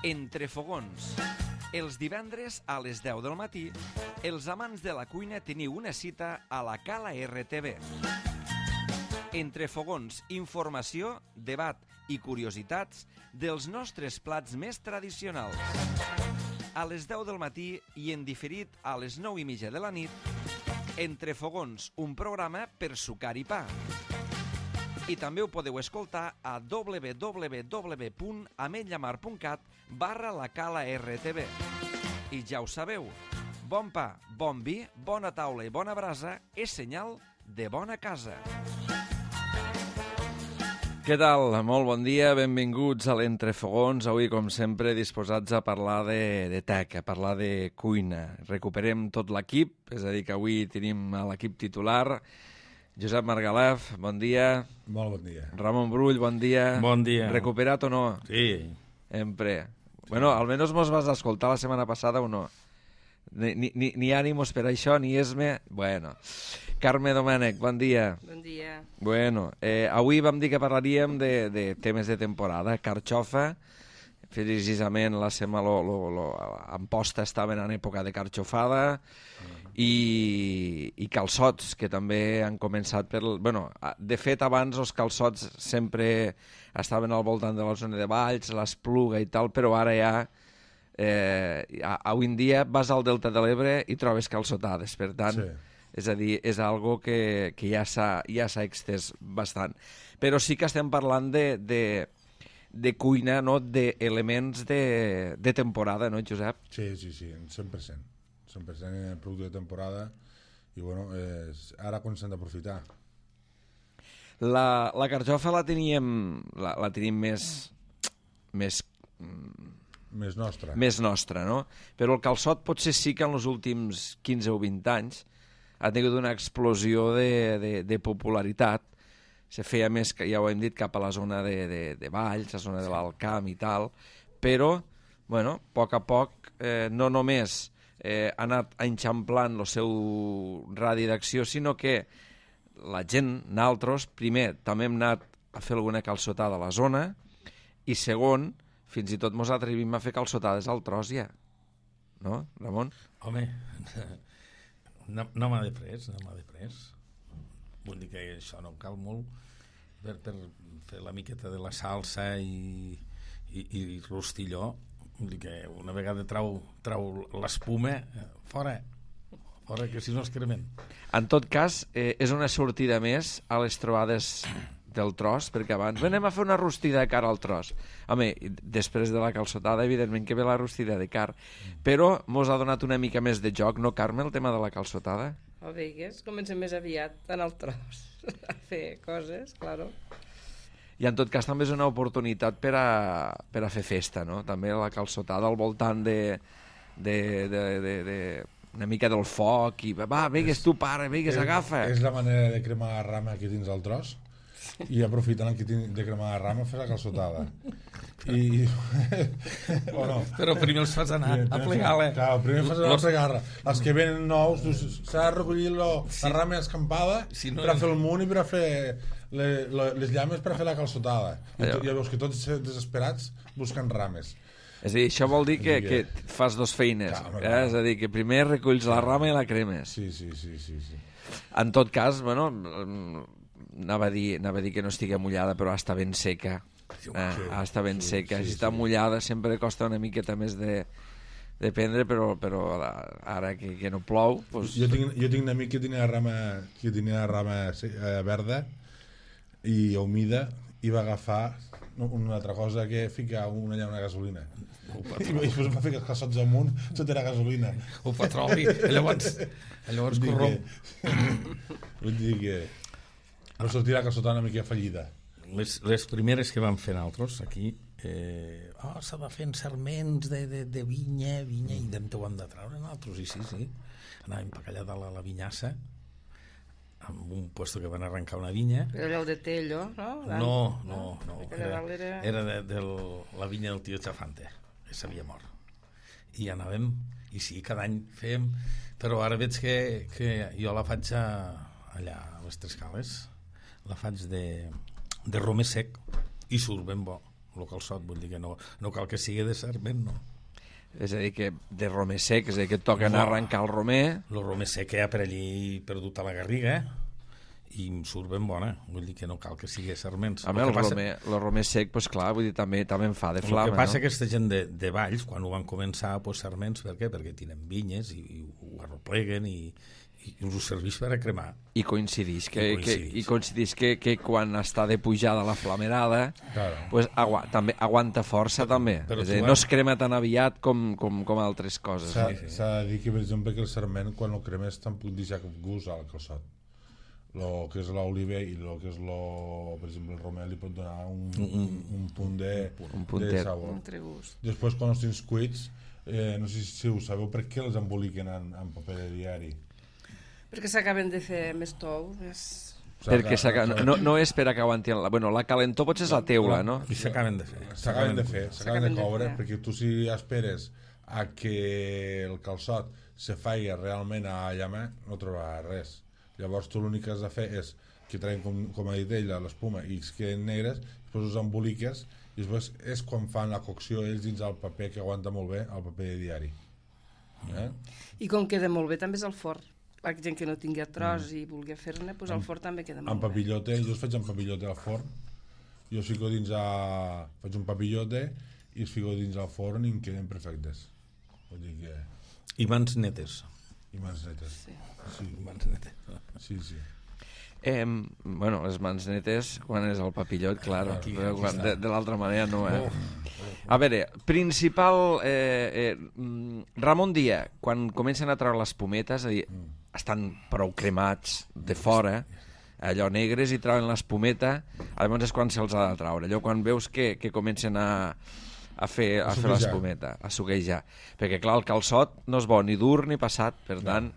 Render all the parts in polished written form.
Entre fogons. Els divendres a les 10 del matí, els amants de la cuina teniu una cita a la Cala RTV. Entre fogons, informació, debat i curiositats dels nostres plats més tradicionals. A les 10 del matí i en diferit a les 9:30 de la nit, Entre fogons, un programa per sucar i pa. I també ho podeu escoltar a www.ametlllamar.cat/la Cala RTV. I ja ho sabeu, bon pa, bon vi, bona taula i bona brasa és senyal de bona casa. Què tal? Molt bon dia, benvinguts a l'Entrefogons. Avui, com sempre, disposats a parlar de tech, a parlar de cuina. Recuperem tot l'equip, és a dir, que avui tenim l'equip titular. Josep Margalef, bon dia. Molt bon dia. Ramon Brull, bon dia. Bon dia. Recuperat o no? Sí. Sempre. Bueno, almenys mos vas escoltar la setmana passada o no? Ni ànimos per això, ni esme... Bueno. Carme Domènech, bon dia. Bon dia. Bueno, avui vam dir que parlaríem de temes de temporada. Carxofa, precisament la setmana Amposta estaven en època de carxofada, i calçots, que també han començat per... Bueno, de fet, abans els calçots sempre estaven al voltant de la zona de Valls, l'Espluga i tal, però ara ja, avui en dia, vas al Delta de l'Ebre i trobes calçotades, per tant... Sí. És a dir, és algo que ja s'ha extès bastant. Però sí que estem parlant de cuina, no? D'elements de temporada, no, Josep? Sí, 100%. 100% producte de temporada i, bueno, ara quan s'han d'aprofitar. La carxofa la tenim més nostra. Més nostra, no? Però el calçot potser sí que en els últims 15 o 20 anys ha tingut una explosió de popularitat. Se feia més, ja ho hem dit, cap a la zona de Valls, la zona de l'Alcamp i tal, però, bueno, a poc, no només ha anat enxamplant el seu radi d'acció, sinó que la gent, nosaltres, primer, també hem anat a fer alguna calçotada a la zona, i segon, fins i tot mos atrevim a fer calçotades al tros ja. No, Ramon? Home... No m'ha de pres. Vull dir que això no cal molt per fer la miqueta de la salsa i rostilló. Vull dir que una vegada trau l'espuma, fora, que si no es cremen. En tot cas, és una sortida més a les trobades del tros, perquè abans anem a fer una rostida de carn al tros. Home, després de la calçotada, evidentment que ve la rostida de carn, però mos ha donat una mica més de joc, no, Carme, el tema de la calçotada? O veigues, comencem més aviat en el tros a fer coses, claro. I en tot cas també és una oportunitat per a fer festa, no? També la calçotada al voltant una mica del foc, i va, veigues tu, pare, veigues, agafa. És la manera de cremar la rama aquí dins del tros, i aprofitant aquí de cremar la rama fer la calçotada. O no? Però primer els fas anar a plegar-la. Clar, primer fas anar a plegar-la. Els que venen nous, s'ha de recollir la rama escampada per a fer el munt i per a fer les llames per a fer la calçotada. I ja veus que tots desesperats busquen rames. És a dir, això vol dir que fas dos feines. És a dir, que primer reculls la rama i la cremes. Sí. En tot cas, bueno, anava a dir que no estigui mullada, però està ben seca. Està ben seca. Si està mullada sempre costa una miqueta més de prendre, però ara que no plou... Jo tinc un amic que tenia la rama verda i humida, i va agafar una altra cosa que ficar una gasolina. I després va fer els calçots amunt sota la gasolina. Ho petroli, llavors corromp. Vull dir que no sortirà calçotada una mica fallida. Les primeres que vam fer nosaltres aquí, s'ha de fer en serments de vinya, i d'on ho hem de treure nosaltres, i sí. Anàvem per allà de la vinyassa, amb un puesto que van arrencar una vinya. Era allò de Tello, no? No. Era de la vinya del tio Chafante, que s'havia mort. I anàvem, i sí, cada any fèiem, però ara veig que jo la faig allà a les Tres Cales, la faig de romer sec, i surt ben bo. el calçot, vull dir que no cal que sigui de sarment, no. És a dir, que de romer sec, és a dir, que et toca anar a arrencar el romer. El romer sec ha per allí perdut a la garriga i em surt ben bona, vull dir que no cal que sigui sarments. A mi el romer sec, doncs clar, vull dir, també em fa de flama, el que passa no? aquesta gent de Valls, quan ho van començar, pues, sarments, per què? Perquè tenen vinyes i ho arropleguen i us serveix per a cremar. I coincideix que quan està de pujada la flamerada, pues, també aguanta força, també. Però és a dir, no es crema tan aviat com altres coses. S'ha de dir que, per exemple, que el sarment, quan el cremes, tampoc deixa cap gust al calçot. El que és l'oliva i el que és, per exemple, el romer li pot donar un punt de sabor. Un gust. Després, quan els tens cuits, no sé si ho sabeu, per què els emboliquen en paper de diari? Perquè s'acaben de fer més tou. Perquè no és per que aguantin... La calentor potser és la teula, no? I s'acaben de fer. S'acaben de coure, perquè tu si esperes a que el calçot se faci realment a llama, no trobaràs res. Llavors tu l'únic que has de fer és que traiem, com ha dit ella, l'espuma i es queden negres, després els emboliques i després és quan fan la cocció ells dins el paper, que aguanta molt bé, el paper de diari. I com queda molt bé també és el forn. La gent que no tingui tros i vulgui fer-ne, doncs el forn també queda molt bé. En papillote, jo els faig en papillote al forn, jo els fico faig un papillote i els fico dins al forn i em queden perfectes. Vull dir que... I mans netes. I mans netes. Sí. Mans netes. Sí. Les mans netes, quan és el papillot, clar, de l'altra manera no. A veure, principal... Ramon Díaz, quan comencen a treure les pometes, és a dir, estan prou cremats de fora, allò negres, i treuen l'espumeta, llavors és quan se'ls ha de treure. Allò quan veus que comencen a fer l'espumeta, a suquejar. Perquè, clar, el calçot no és bo ni dur ni passat, per tant...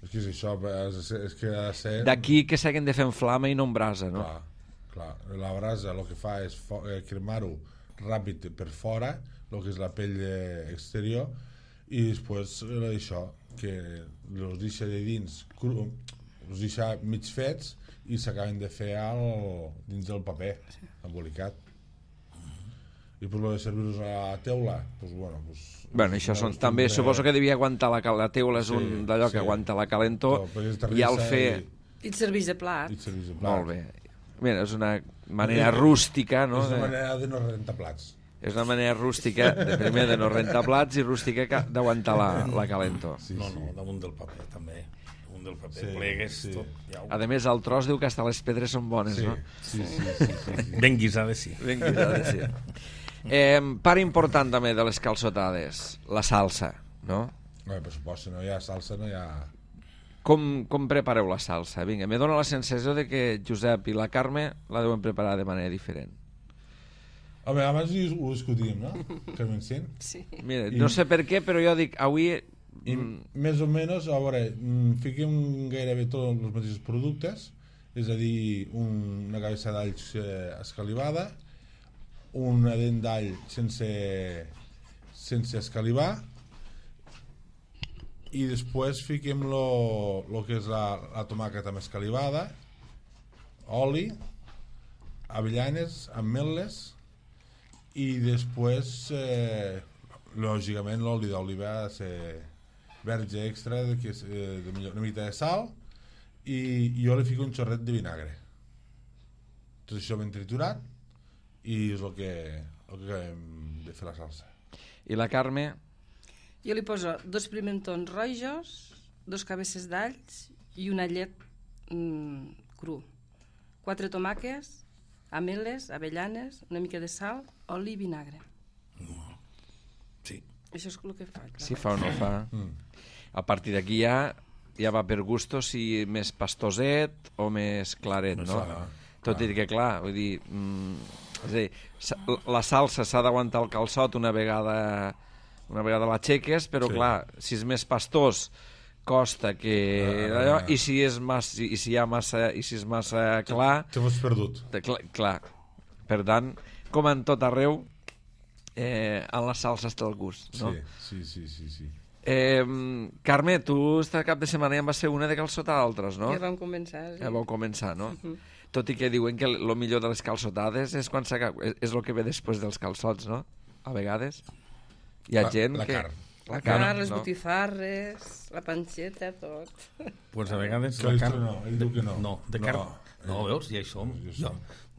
És que és això, és que ha de ser... D'aquí que s'hagin de fer en flama i no en brasa, no? Clar. La brasa el que fa és cremar-ho ràpid per fora, el que és la pell exterior, i després això, que els deixa de dins els deixa mig fets i s'acaben de fer dins del paper embolicat. I per lo de servir-los a la teula, això també suposo que devia aguantar la teula, és un d'allò que aguanta la calentor, i al fer... I et serveix de plat. Molt bé. Mira, és una manera rústica, no? És una manera de no rentar plats. És una manera rústica, primer de no rentar plats, i rústica d'aguantar la calentor. No, damunt del paper, també. Damunt del paper, plegues, tot. A més, el tros diu que hasta les pedres són bones, no? Sí. Ben guisades, sí. Ben guisades, sí. Part important també de les calçotades, la salsa, no? Per supost, si no hi ha salsa no hi ha... Com prepareu la salsa? Vinga, me dóna la sensació de que Josep i la Carme la deuen preparar de manera diferent. Home, abans ho discutíem, no? Carmen Cint? Sí. Mira, no sé per què, però jo dic, avui... Més o menys, a veure, fiquem gairebé tots els mateixos productes, és a dir, una cabeça d'all escalivada, una dent d'all sense escalivar, i després fiquem lo que és la tomàqueta amb escalivada, oli, avellanes, ametlles, i després lògicament l'oli d'oliva ha de ser verge extra, una mica de sal, i jo li fico un xorret de vinagre, tot això ben triturat, i és el que hem de fer la salsa. I la Carme? Jo li poso 2 pimentons rojos, 2 cabeces d'alls i un allet cru, 4 tomàquets, ametlles, avellanes, una mica de sal, oli i vinagre. Sí. Això és el que faig. Si fa o no fa. A partir d'aquí ja va per gusto, si més pastoset o més claret, no? Tot i que, clar, vull dir... És a dir, la salsa s'ha d'aguantar el calçot una vegada l'aixeques, però, clar, si és més pastós costa que... I si és massa clar... T'has perdut. Clar. Per tant, com en tot arreu, en la salsa està el gust, no? Sí. Carme, tu este cap de setmana ja en vas ser una de calçotar d'altres, no? Ja vam començar, sí. Ja vau començar, no? tot i que diuen que el millor de les calçotades és quan és el que ve després dels calçots, no? A vegades. Hi ha gent la que... carn. La carn, les botifarres, la panxeta, tot. Pues a vegades Que la carn... no, ell diu que no. No, de carn... No, veus? Ja hi som.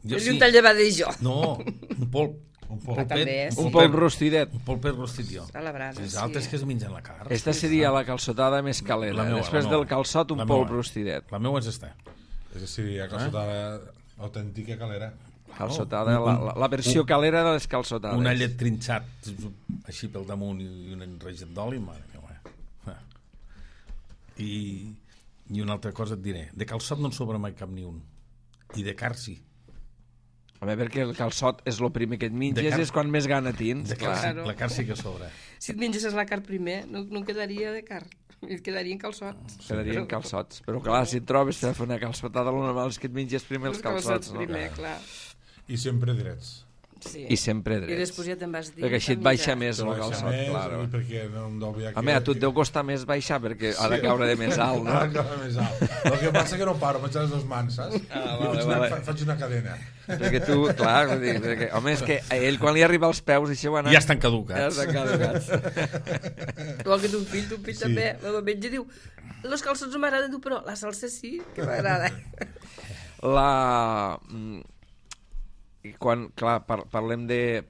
Jo És un tall de badell jo. No, un polp. Un polp. També, sí. Un polp rostidet. Un polp rostit jo. A la brasa, Les sí. altres que es mengen la carn. Esta seria la calçotada més calenta. La meua, Després la meua. del calçot, un La polp meua. rostidet. La meva és esta. És seria calçotada autèntica calera. Calçotada, la versió calera de les calçotades. Un allet trinxat així pel damunt i un enrejat d'oli, mare meva. I una altra cosa et diré. De calçot no en sobra mai cap ni un. I de carn sí. Home, perquè el calçot és el primer que et menges i és quan més gana tens. De carn, Claro. la carn sí que sobra. Si et mengessis la carn primer, no quedaria de carn. Et quedarien calçots. Quedarien calçots. Però clar, si et trobes per fer una calçotada, el normal és que et menges primer els calçots, no? primer, clar. I sempre drets. Sí. I sempre I drets. després ja te'n vas dir... Perquè així et baixa més el calçot, Més, claro. i perquè no em deu Home, a tu et deu costar més baixar perquè ha de caure de més alt, Ha de no? caure més alt. El que passa que no paro, faig les dues mans, saps? Faig una cadena. Perquè tu, clar, vull dir, perquè, home, és que a ell quan li arriba als peus això ho ha anat... Ja estan Ja caducats. estan caducats. Igual que ton fill Sí. també, el metge diu, los calçots no m'agraden, diu, però la salsa sí que m'agrada. Quan, clar, parlem de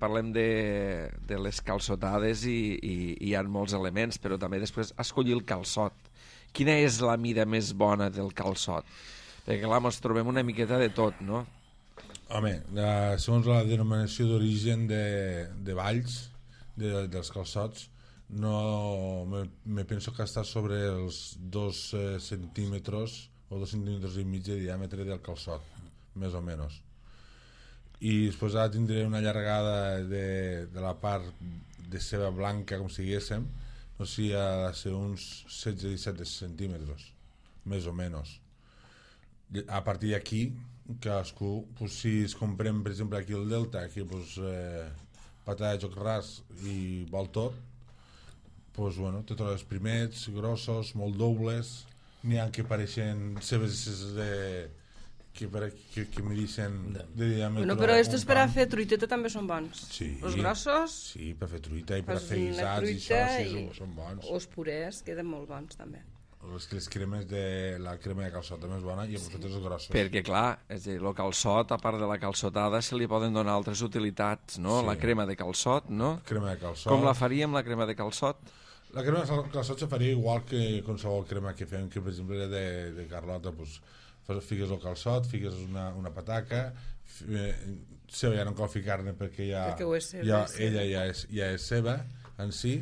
les calçotades i hi ha molts elements, però també després escollir el calçot. Quina és la mida més bona del calçot? Perquè, clar, ens trobem una miqueta de tot, no? Home, segons la denominació d'origen de Valls, dels calçots, no me penso que està sobre els 2 centímetres o 2 centímetres i mig de diàmetre del calçot, més o menys. I després ara tindré una allargada de la part de ceba blanca, com si diguéssim, no sé si ha de ser uns 16-17 centímetres, més o menys. A partir d'aquí, cadascú, pues, si es comprem, per exemple, aquí el Delta, aquí pues, patata de joc ras i vol tot, pues, bueno, te trobes primets, grossos, molt dobles, n'hi ha que pareixen cebes que me dicen de diàmetre... Bueno, però estos per a fer truiteta també són bons. Sí. Los grossos... Sí, per fer truita i per fas fer una guisats i truita això, sí, són bons. O els purés queden molt bons, també. Les cremes la crema de calçot també és bona i els potatoes grossos. Perquè, clar, és a dir, el calçot, a part de la calçotada, se li poden donar altres utilitats, no? Sí. La crema de calçot, no? Crema de calçot. Com la faríem, la crema de calçot? La crema de calçot se faria igual que qualsevol crema que fem, que per exemple era de Carlota, pues, fiques el calçot, fiques una pataca, ceba ja no cal ficar-ne perquè Perquè ho és ceba, ella ja és ceba en si,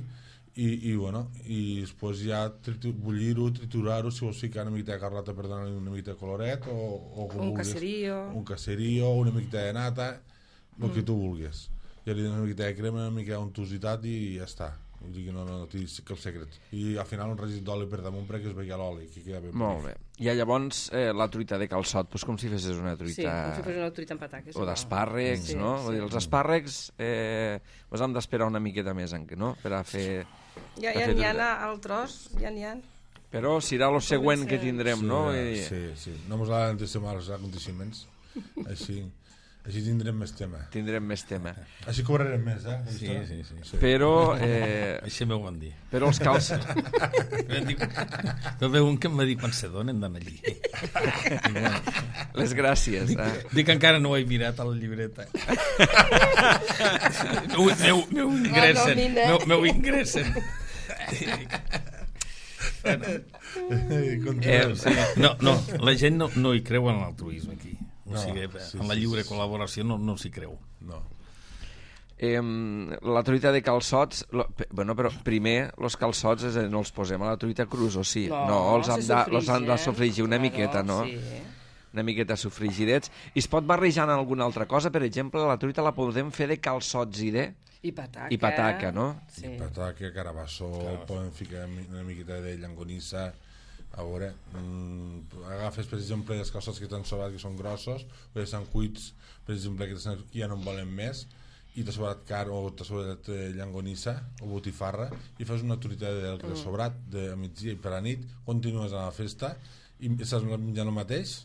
i bueno, i després ja bullir-ho, triturar-ho, si vols ficar una mica de Carlota per donar-li una mica de coloret, o com Un vulguis. caserío. Caserío, una mica de nata, el que tu vulguis. Ja li dones una mica de crema, una mica d'untositat i ja està. Vull dir que no té cap secret. I al final un regit d'oli per damunt perquè es veia l'oli, que queda ben Molt bé. I llavors la truita de calçot, doncs com si fessis una truita... Sí, com si fos una truita amb pataques. O d'espàrrecs, Sí, no? sí. Vull dir, els espàrrecs doncs hem d'esperar una miqueta més, no? Per a fer... Ja per a fer n'hi ha truita. al tros, ja n'hi ha. Però serà el següent que tindrem, no? Sí. No mos ha d'antecedar els aconteciments. Així tindrem més tema. Tindrem més tema. Així cobrarem més, eh? Sí. Però... Així m'ho van dir. Però els calçots... No veu un que em va dir quan se donen d'anar allí. Les gràcies. Dic que encara no ho he mirat a la llibreta. Meu ingressen. Meu ingressen. No, la gent no hi creu en l'altruisme aquí. O sigui, en la lliure col·laboració no s'hi creu. No. La truita de calçots... Bueno, però primer els calçots no els posem a la truita crus, o sí? No, els han de sofregir una miqueta, no? Sí. Una miqueta sofrigidets. I es pot barrejar en alguna altra cosa? Per exemple, la truita la podem fer de calçots I pataca. i pataca, no? Sí. Pataca, carabassó, poden ficar una miqueta de llangonissa. A veure, agafes, per exemple, els calçots que t'han sobrat, que són grossos, o ja estan cuits, per exemple, que ja no en volen més, i t'ha sobrat carn o t'ha sobrat llangonissa o botifarra, i fas una truita del que t'ha sobrat de migdia i per la nit, continues a la festa, i estàs menjant el mateix,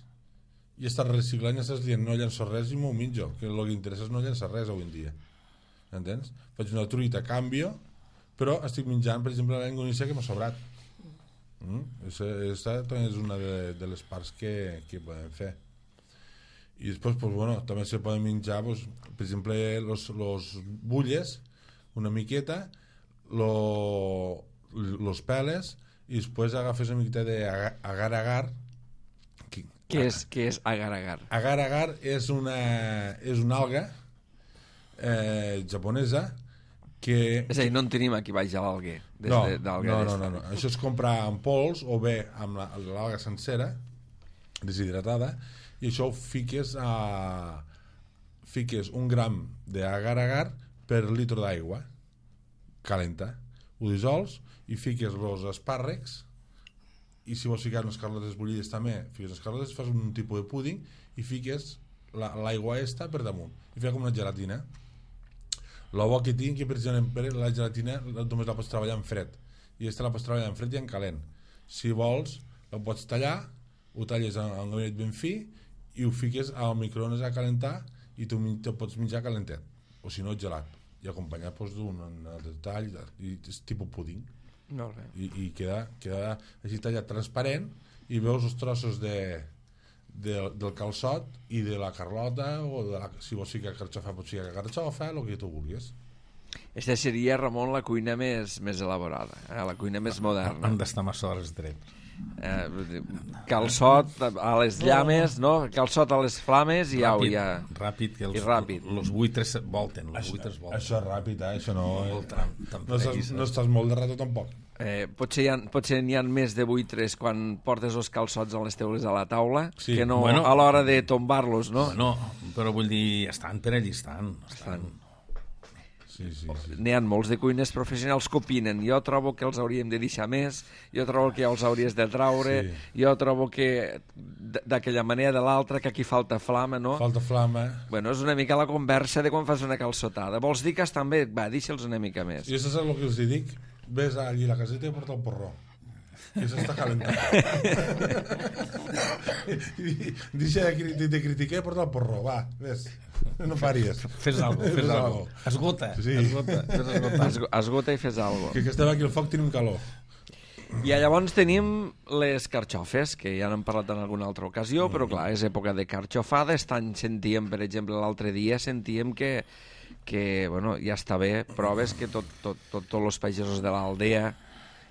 i estàs reciclant i estàs dient no llenço res i m'ho menjo, que el que interessa és no llençar res avui en dia, entens? Faig una truita, canvio, però estic menjant, per exemple, la llonganissa que m'ha sobrat. Aquesta també és una de les parts que podem fer. I després, pues, bueno, també se poden menjar, pues, per exemple, los bulles, una miqueta, los peles, i després agafes una miqueta d'agar-agar. Què és agar-agar? Agar-agar és una alga japonesa que... És a dir, no en tenim aquí baix a l'alguer. No. Això es comprar en pols o bé amb l'alga sencera, deshidratada, i això ho fiques un gram d'agar-agar per litre d'aigua calenta. Ho dissols i fiques els espàrrecs, i si vols ficar unes carlotes bullides també, fiques les carlotes, fas un tipus de púding i fiques l'aigua esta per damunt i fes com una gelatina. El bo que tinc que, per exemple, la gelatina només la pots treballar en fred, i aquesta la pots treballar en fred i en calent. Si vols, la pots tallar, ho talles en un gabinet ben fi i ho fiques al microones a calentar i tu te pots menjar calentet, o si no gelat, i acompanyat d'un detall i és tipus púding. I queda així tallat transparent i veus els trossos del calçot i de la carlota, o si vols ficar carxofa pots ficar carxofa, el que tu vulguis. Aquesta seria, Ramon, la cuina més elaborada, la cuina més moderna. Han d'estar massa hores drets. Calçot a les llames, no? Calçot a les flames i au, ja. Ràpid, que ràpid. Els buitres volten. Això és ràpid, això no... No estàs molt de rato tampoc. Potser n'hi ha més de buitres quan portes els calçots a les teules a la taula, sí, que no a l'hora de tombar-los, no? Bueno, però vull dir, estan per allí, estan. Sí. N'hi ha molts de cuiners professionals que opinen. Jo trobo que els hauríem de deixar més, jo trobo que ja els hauries de traure, jo trobo que d'aquella manera de l'altra, que aquí falta flama, no? Falta flama. Bueno, és una mica la conversa de quan fas una calçotada. Vols dir que estan bé? Va, deixa'ls una mica més. I això és el que els dic. Ves allí a la caseta i porta el porró. Que s'està calentant. Deixa de criticar i porta el porró. Va, ves. No faries. Fes algo. Esgota. Sí. Esgota i fes algo. Que estem aquí al foc tenim calor. I llavors tenim les carxofes, que ja n'hem parlat en alguna altra ocasió, però clar, és època de carxofada. Sentíem, per exemple, l'altre dia, que bueno, ja està bé, proves que tots els pagesos de l'aldea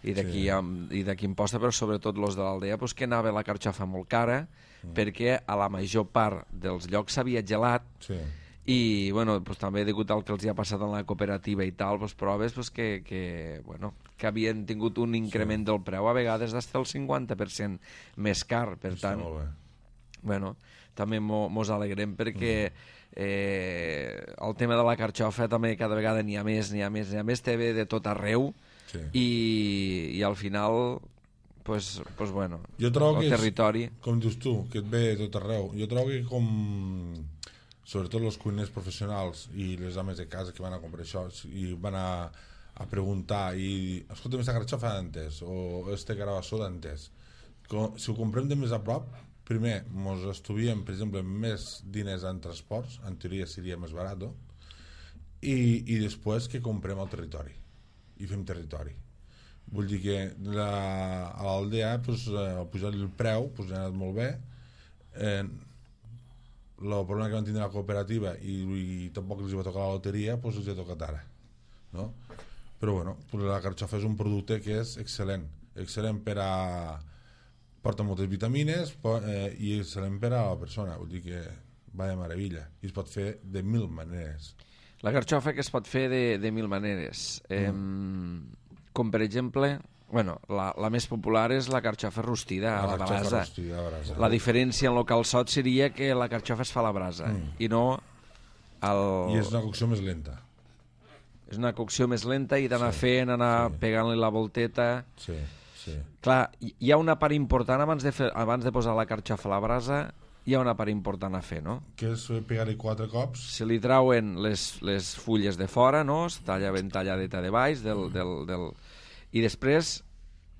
i d'aquí imposta, però sobretot els de l'aldea, pues, que anava la carxofa molt cara, perquè a la major part dels llocs s'havia gelat, i bueno, pues, també degut al que els hi ha passat en la cooperativa i tal, pues, proves pues, que havien tingut un increment del preu, a vegades fins al 50% més car, per tant bueno, també mos alegrem perquè el tema de la carxofa també cada vegada n'hi ha més, té bé de tot arreu, i al final pues bueno, jo trobo el territori com dius tu, que et ve de tot arreu. Jo trobo que sobretot els cuiners professionals i les dames de casa que van a comprar això i van a preguntar i escolta'm, esta carxofa d'antes o este carabassó d'antes, si ho comprem de més a prop, primer mos estuviem, per exemple, més diners en transports, en teoria seria més barat, i després que comprem al territori i fem territori. Vull dir que a l'aldea pujar el preu ha anat molt bé. El problema que van tindre la cooperativa i tampoc els va tocar la loteria, els ha tocat ara, no? Però bueno, la carxofa és un producte que és excel·lent per a porta moltes vitamines i excel·lent per a la persona, vull dir que va de meravella i es pot fer de 1000 maneres. La carxofa que es pot fer de 1000 maneres, com per exemple, bueno, la més popular és la carxofa rostida a la brasa. La diferència en el calçot seria que la carxofa es fa a la brasa i no i és una cocció més lenta. És una cocció més lenta i d'anar fent, anar pegant-li la volteta. Sí. Clar, hi ha una part important abans de posar la carxofa a la brasa, hi ha una part important a fer, no? Que és pegar-hi 4 cops. Se li trauen les fulles de fora, no? Es talla ben talladeta de baix i després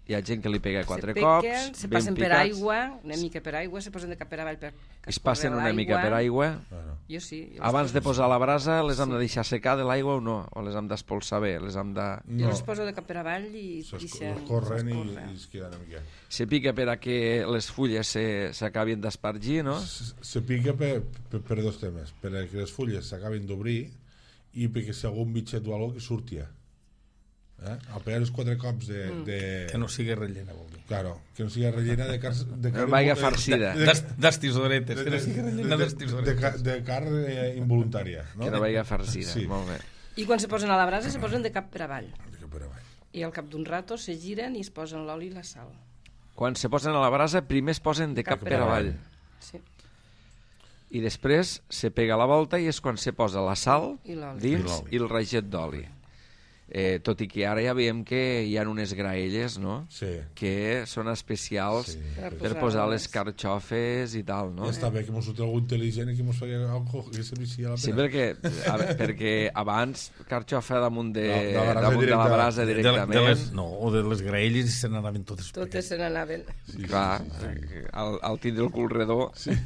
Hi ha gent que li pega 4 se cops, piquen, se ben passen per picats. aigua, una mica per aigua, se posen de cap per avall per Es passen una mica per aigua. Bueno, Jo sí. Jo Abans de posar a la brasa, les hem Sí. de deixar secar de l'aigua o no? O les hem d'espolsar bé? Les hem de... Jo les poso de cap per avall i deixen... corren i s'escorren. es queden una mica. Se pica per a que les fulles s'acabin d'espargir, no? Se pica per dos temes, per a que les fulles s'acabin d'obrir i perquè si algun bitxet o alguna cosa que surtia. Al pegar els 4 cops de... Que no sigui rellena, vol dir. Claro, que no sigui rellena de carn... No vaya farcida. D'estisoretes, que no sigui rellena d'estisoretes. de carn involuntària. No? Que no vagi farcida. Sí. Molt bé. I quan se posen a la brasa se posen de cap per avall. De cap per avall. I al cap d'un rato se giren i es posen l'oli i la sal. Quan se posen a la brasa, primer es posen de cap per avall. Sí. I després se pega la volta i és quan se posa la sal I l'oli. dins i el raget d'oli. Tot i que ara ja veiem que hi ha unes graelles, no?, Sí. que són especials Sí. per posar les carxofes i tal, no? Ja està bé que mos sortia algú intel·ligent i que mos feia algo que servicia a la Sí, pena. perquè abans carxofa damunt de, De la brasa damunt de la brasa De directament. les, no, o de les graelles i se n'anaven totes Totes se n'anaven. Clar, al tindre el cul redó. Sí.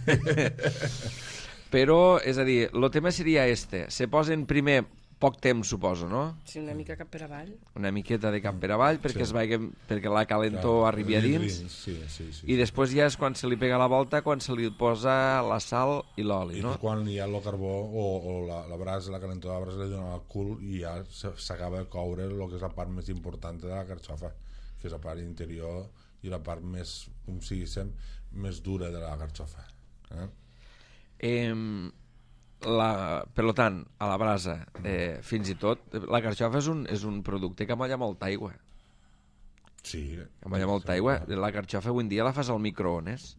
Però, és a dir, el tema seria este. Se posen primer poc temps, suposo, no? Sí, una mica cap per avall. Una miqueta de cap per avall perquè, perquè la calentor arribi a dins. Sí. I després ja és quan se li pega la volta, quan se li posa la sal i l'oli, I no? quan hi ha el carbó o la brasa, la calentor de la brasa li dona el cul i ja s'acaba de coure el que és la part més important de la carxofa, que és la part interior i la part més, com si diguéssim, més dura de la carxofa. Per tant, a la brasa, fins i tot, la carxofa és un producte que molla molta aigua. Sí. Que molla molta aigua. La carxofa avui en dia la fas al microones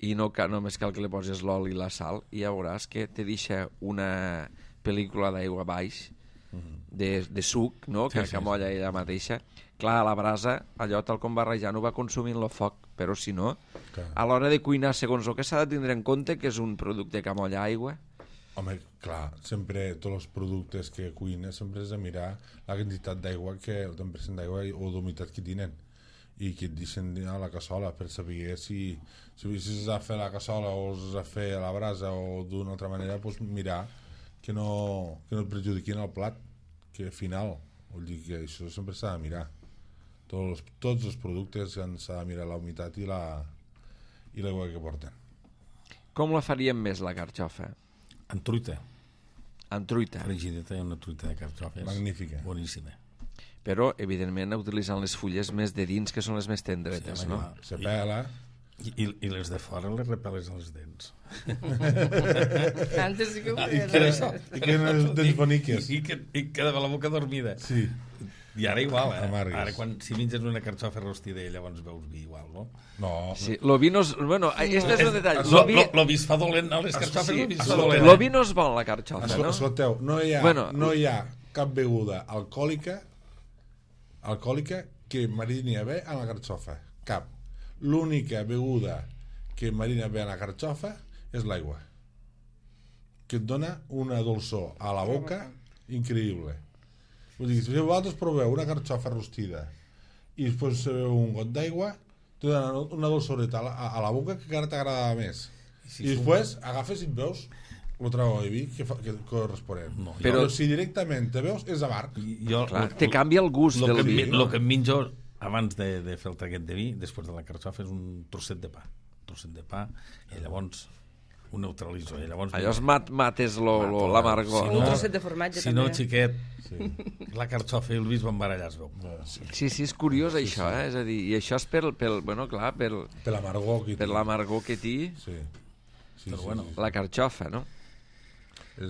i no només cal que li poses l'oli i la sal i ja veuràs que te deixa una pel·lícula d'aigua baix de suc, no? que molla ella mateixa. Clar, a la brasa, allò tal com va rejant ho va consumint el foc, però si no, a l'hora de cuinar, segons el que s'ha de tindre en compte, que és un producte que molla aigua. Home, clar, sempre tots els productes que cuines sempre has de mirar la quantitat d'aigua, el 10% d'aigua o d'humitat que tenen i que et deixen a la cassola per saber si s'ha de fer a la cassola o s'ha de fer a la brasa o d'una altra manera, doncs mirar que no et perjudiquin el plat, que al final, vull dir que això sempre s'ha de mirar. Tots els productes s'ha de mirar la humitat i l'aigua que porten. Com la faríem més, la carxofa? En truita. En truita. Frigideta i una truita de carxofes. Magnífica. Boníssima. Però, evidentment, utilitzant les fulles més de dins, que són les més tendretes, Sí, no? clar. Se pela. I les de fora les repeles als dents. Antes sí que ho I feien. que no és dents boniques. I quedava la boca dormida. Sí. I ara igual, Amargues. Ara si menges una carxofa rostida i llavors veus vi igual, no? No. Sí, lo vi no és... Bueno, este és un detall. Lo vi es fa dolent, no? Les carxofes Sí, lo vi es fa dolent. lo vi no és bon, la carxofa, no? Escolteu, no hi ha cap beguda alcohòlica que marini bé a la carxofa. Cap. L'única beguda que marina bé a la carxofa és l'aigua, que et dona una dolçor a la boca increïble. Vull dir, si vosaltres proveu una carxofa rostida i després sabeu un got d'aigua, te dona una dolçoreta a la boca que encara t'agrada més. I després agafes i et veus el trago de vi que corresponent. No, Però si directament te veus és amarg. Clar, te canvia el gust del vi. El que em menjo abans de fer el traguet de vi, després de la carxofa, és un trosset de pa. I llavors ho neutralitzo. Allò es mates l'amargor. Un trosset de formatge, si no, també. xiquet, la carxofa i el vi es van barallar, es veu. Sí, és curiós això, eh? És a dir, i això és per l'amargor que té. Per l'amargor que té Però bueno. la carxofa, no?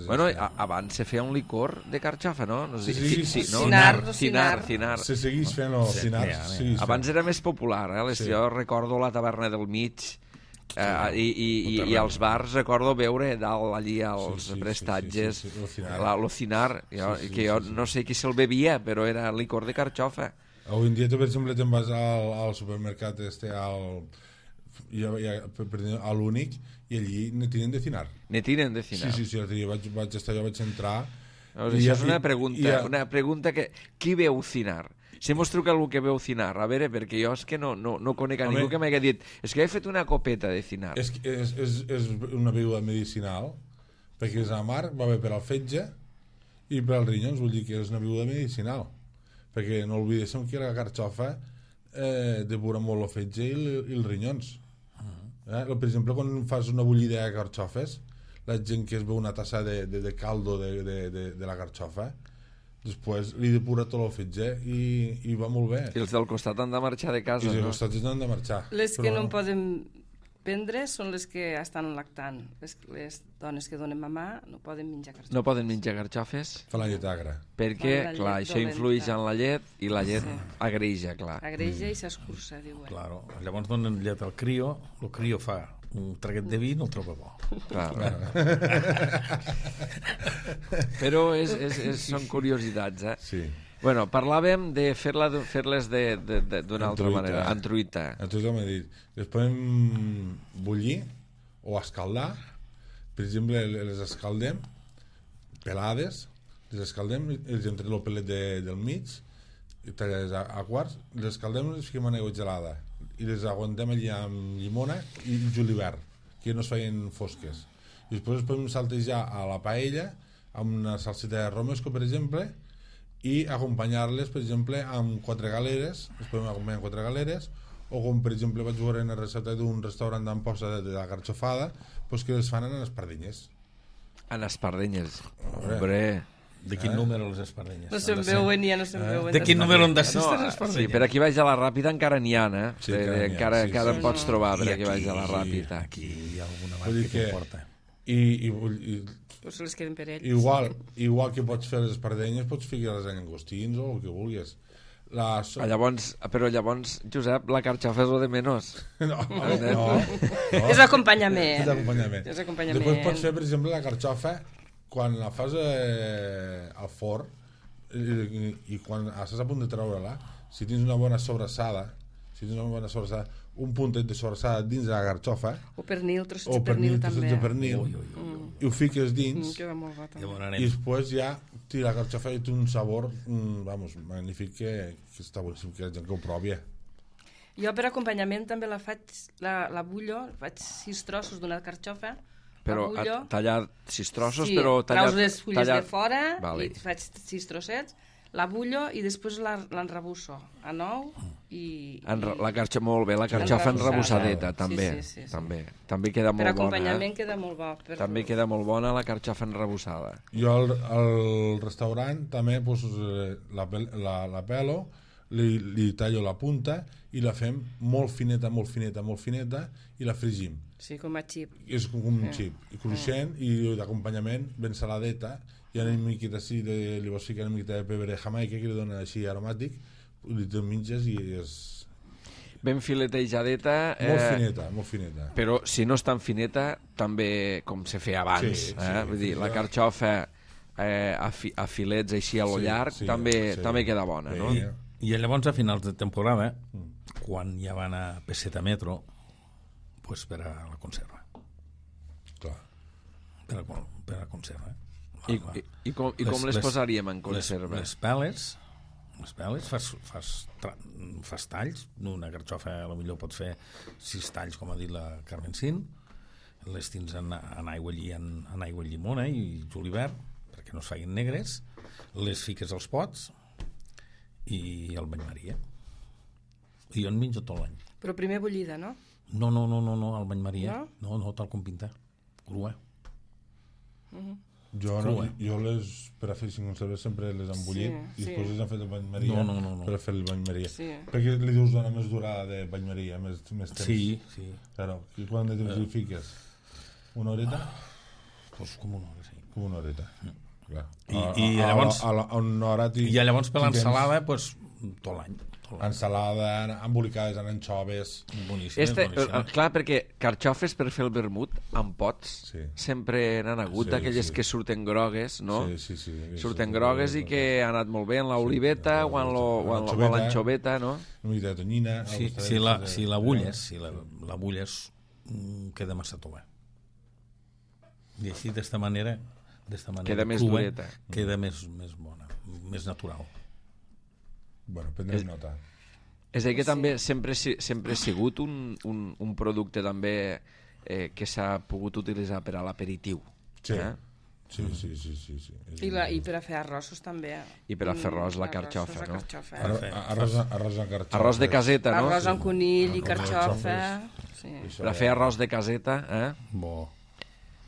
Bueno, abans se feia un licor de carxofa, no? No sé, Sí, no? Cinar. Se segueix fent el cinar. Abans era més popular, eh? Jo recordo la taverna del mig i als bars recordo veure dalt allí als prestatges l'ocinar, que jo no sé qui se'l bevia, però era licor de carxofa. Avui en dia, per exemple, te'n vas al supermercat a l'únic i allí ne tenen de cinar. Ne tenen de cinar. Sí, l'altre dia vaig entrar... Això és una pregunta que... Qui veu cinar? Si mos truca algú que veu cinar, a veure, perquè jo és que no conec a ningú que m'hagi dit és que he fet una copeta de cinar. És una beguda medicinal, perquè és amarg, va bé per al fetge i per als rinyons, vull dir que és una beguda medicinal. Perquè no oblidéssim que la carxofa depura molt el fetge i els rinyons. Per exemple, quan fas una bullida de carxofes, la gent que es veu una tassa de caldo de la carxofa, després li depura tot el fetge i va molt bé. I els del costat han de marxar de casa, I els no? del costat han de marxar. Les que no en poden prendre són les que estan lactant. Les dones que donen mamà no poden menjar carxofes. No poden menjar carxofes Fa la llet agra. perquè, Fa la clar, llet això influeix dolenta. en la llet i la llet agreix, clar. Agreja i s'escurça, diuen. Claro. Llavors donen llet al crio, el crio fa un traguet de vi i no el troba bo. Clar. Però són curiositats, eh? Sí. Bueno, parlàvem de fer-les d'una altra manera, en truita. Entonces m'ha dit, les podem bullir o escaldar. Per exemple, les escaldem pelades, les escaldem, els entrem el pelet del mig, tallades a quarts, les escaldem i les fiquem en aigua gelada i les aguantem allà amb llimona i julivert, que no es feien fosques. I després les podem saltejar a la paella amb una salseta de romesco, per exemple, i acompanyar-les, per exemple, amb 4 galeres, les podem acompanyar amb 4 galeres, o com, per exemple, vaig veure en la recepta d'un restaurant d'Amposta de la carxofada, pues que les fan en espardenyes. En espardenyes. Hombre. De quin número les espardenyes? No se'n veuen, ja no se'n veuen. De quin número han de ser No, les espardenyes? sí, per aquí baix a la Ràpida encara n'hi ha, eh? Sí, encara n'hi ha, encara sí, en pots trobar per I aquí baix a la Ràpida. Aquí hi ha alguna Vull dir marca que que- porta. I Pues se les queden per ells. igual que pots fer les espardenyes, pots ficar-les en llangostins o el que vulguis. Però llavors, Josep, la carxofa és lo de menys. No. És acompanyament. És acompanyament. És acompanyament. Després pots fer, per exemple, la carxofa quan la fas al forn i quan estàs a punt de treure-la, si tens una bona sobrassada, un puntet de sobrassada dins de la carxofa O pernil, trossets o de pernil trossets també. de pernil i ho fiques dins Queda molt bo també. Llavors i anem. després ja la carxofa té un sabor magnífic que està boníssim, que la gent que ho provi. Jo per acompanyament també la faig, la bullo, faig 6 trossos d'una carxofa, Però la bullo, tallar 6 trossos, sí, però tallar... traus les fulles de fora Vale. i faig 6 trossets, la bullo i després l'enrebusso a nou i... La carxofa, molt bé, la carxofa Enrebusada. enrebussadeta, també. Sí. També queda Per molt bona. acompanyament queda molt bo. També queda molt bona la carxofa enrebussada. Jo al restaurant també pues, la pelo, li tallo la punta i la fem molt fineta i la fregim. Sí, com a xip. És com un xip i cruixent i d'acompanyament ben saladeta i una miqueta així li vols ficar una miqueta de pebre de Jamaica que li dona així aromàtic i te menges i és Ben filetejadeta. molt fineta. Però si no és tan fineta, també com se feia abans. Sí, Vull dir, la carxofa a filets així a lo llarg també queda bona, no? Sí. I llavors a finals de temporada, quan ja van a peseta metro, pues per a la conserva. Clar. Per a conserva. I com les posaríem en conserva? Les peles fas talls, una carxofa potser pots fer 6 talls, com ha dit la Carmencín, les tens en aigua llimona i julivert perquè no es facin negres, les fiques als pots i el bany Maria. I jo en menjo tot l'any. Però primer bullida, no? No, el bany Maria. No, tal com pinta. Crua. Jo les, per a fer 5 conserves, sempre les han bullit i després les han fet el bany Maria per a fer el bany Maria. Sí. Perquè li dius dona més durada de bany Maria, més temps. Sí. Claro. I quant de temps li fiques? Una horeta? Pues com una hora, sí. Com una horeta. Clar. I llavors... una hora I llavors per l'ensalada, pues, tot l'any. Ensalada, embolicades en anxoves. Boníssim. Clar, perquè carxofes per fer el vermut amb pots sempre n'han hagut, aquelles que surten grogues, no? Sí. Surten grogues i que ha anat molt bé en l'oliveta o en l'anxoveta, no? Una mica de tonyina. Si la bulles, queda massa tova. I així, d'esta manera queda més crua, dureta. queda més bona, més natural. Bueno, prendrem nota. És a dir, que també sempre ha sigut un producte també que s'ha pogut utilitzar per a l'aperitiu. Sí. Sí. I per a fer arrossos també. I per a fer arròs, la carxofa, no? Arròs amb carxofa. Arròs de caseta, no? Arròs amb conill i carxofa. Per a fer arròs de caseta, Bo.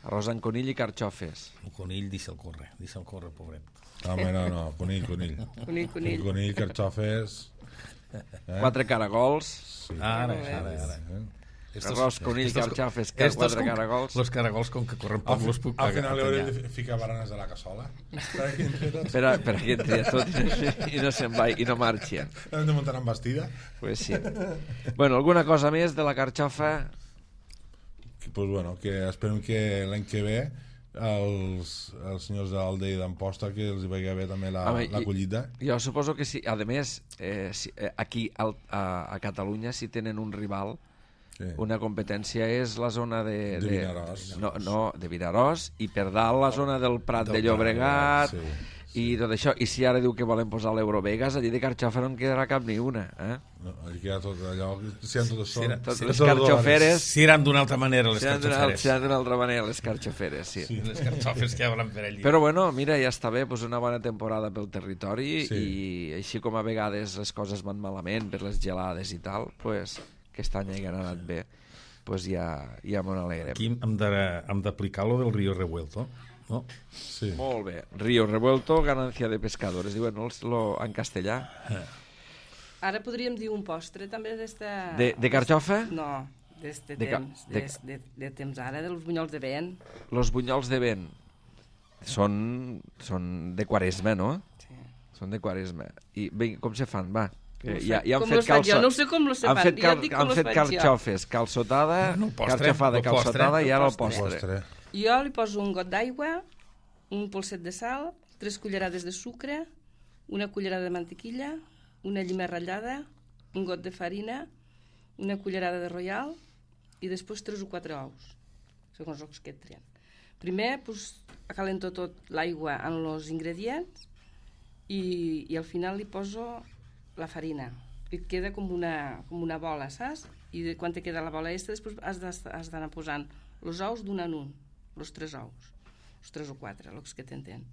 Arròs amb conill i carxofes. El conill, deixa'l córrer, pobret. Home, no, conill. Conill, carxofes... 4 caragols. Ara. Arròs, conill, carxofes, 4 caragols. Los caragols, com que corren poc, los puc al final haurem de ficar baranes a la cassola. Per a que entri tot i no se'n va i no marxi. Hem de muntar amb bastida. Pues sí. Bueno, alguna cosa més de la carxofa? Pues bueno, que esperem que l'any que ve els senyors d'Alde i d'Amposta que els hi vagi bé també la collita. Jo suposo que sí. A més, aquí a Catalunya si tenen un rival, una competència és la zona de Vinaròs. No, de Vinaròs, i per dalt la zona del Prat de Llobregat i tot això. I si ara diu que volen posar l'Eurovegas, allí de carxofa no en quedarà cap ni una. No, allí queda tot allò, si han tot això. Les carxoferes... Si eren d'una altra manera, les carxoferes. Si eren d'una altra manera, les carxoferes, sí. Les carxofes que hauran per allí. Però bueno, mira, ja està bé, pues una bona temporada pel territori i així com a vegades les coses van malament per les gelades i tal, pues aquest any han anat bé, pues ja m'ho alegrem. Aquí hem d'aplicar lo del Río Revuelto, no? Sí. Molt bé. Río Revuelto, ganancia de pescadores. Diuen en castellà. Ara podríem dir un postre també d'esta... De carxofa? No, d'este temps. De temps ara, dels bunyols de vent. Los bunyols de vent són de Quaresma, no? Sí. Són de Quaresma. I bé, com se fan, va? Com los faig jo? No sé com los fan. Han fet carxofes, calçotada, carxofada, calçotada i ara el postre. Jo li poso un got d'aigua, un polset de sal, 3 cullerades de sucre, una cullerada de mantequilla, una llima ratllada, un got de farina, una cullerada de royal i després 3 o 4 ous, segons els que et trien. Primer acalento tot l'aigua amb els ingredients i al final li poso la farina. I et queda com una bola, saps? I quan te queda la bola aquesta, després has d'anar posant els ous d'un en un, els 3 ous, els 3 o 4, els que t'entén.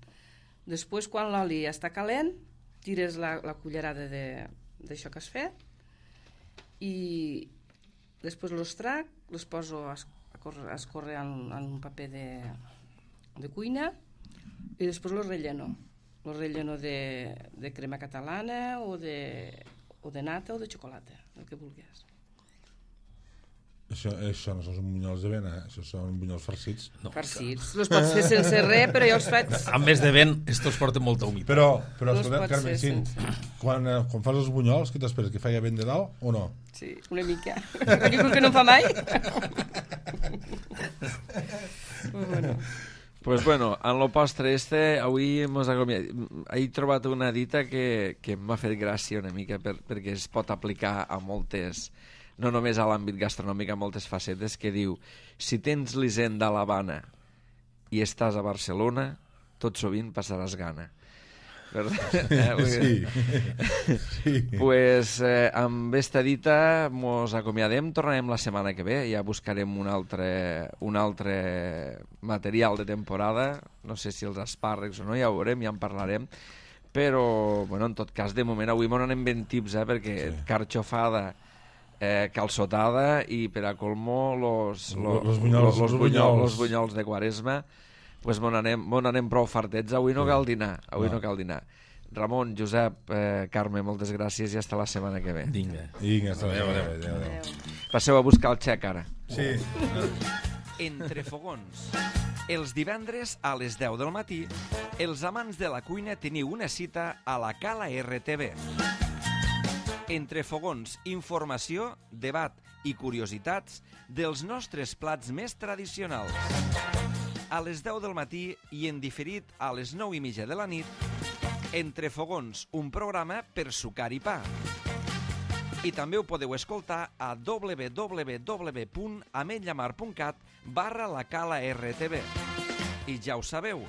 Després, quan l'oli està calent, tires la cullerada d'això que has fet i després els trac, els poso a escórrer en un paper de cuina i després els relleno. El relleno de crema catalana o de nata o de xocolata, el que vulguis. Això no són bunyols de vent, això són bunyols farcits. No. Farcits. Els pots fer sense res, però jo els faig... A més de vent, estos porten molta humitat. Però escolta, Carmencín, quan fas els bunyols, què t'esperes? Que faci vent de dalt o no? Sí, una mica. Aquí que no fa mai. Bueno. Pues bueno, en lo postre avui he trobat una dita que m'ha fet gràcia una mica perquè es pot aplicar a moltes, no només a l'àmbit gastronòmic, a moltes facetes, que diu: si tens l'Hisenda a l'Havana i estàs a Barcelona, tot sovint passaràs gana. Sí. Pues amb esta dita mos acomiadem, tornarem la setmana que ve, ja buscarem un altre material de temporada, no sé si els espàrrecs o no, ja ho veurem, ja en parlarem, però bueno, en tot cas de moment avui m'ho anem ben tips, perquè carxofada, calçotada i per a colmo los bunyols de Quaresma, pues m'ho anem prou fartets. Avui no cal dinar. Ramon, Josep, Carme, moltes gràcies i hasta la setmana que ve. Vinga, hasta la setmana que ve. Passeu a buscar el xec ara. Sí. Entre fogons. Els divendres a les 10 del matí, els amants de la cuina teniu una cita a la Cala RTV. Entre fogons, informació, debat i curiositats dels nostres plats més tradicionals. A les 10 del matí i en diferit a les 9:30 de la nit, Entre fogons, un programa per sucar i pa. I també ho podeu escoltar a www.ametlllamar.cat/la-cala-rtv. I ja ho sabeu,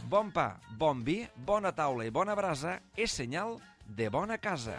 bon pa, bon vi, bona taula i bona brasa és senyal de bona casa.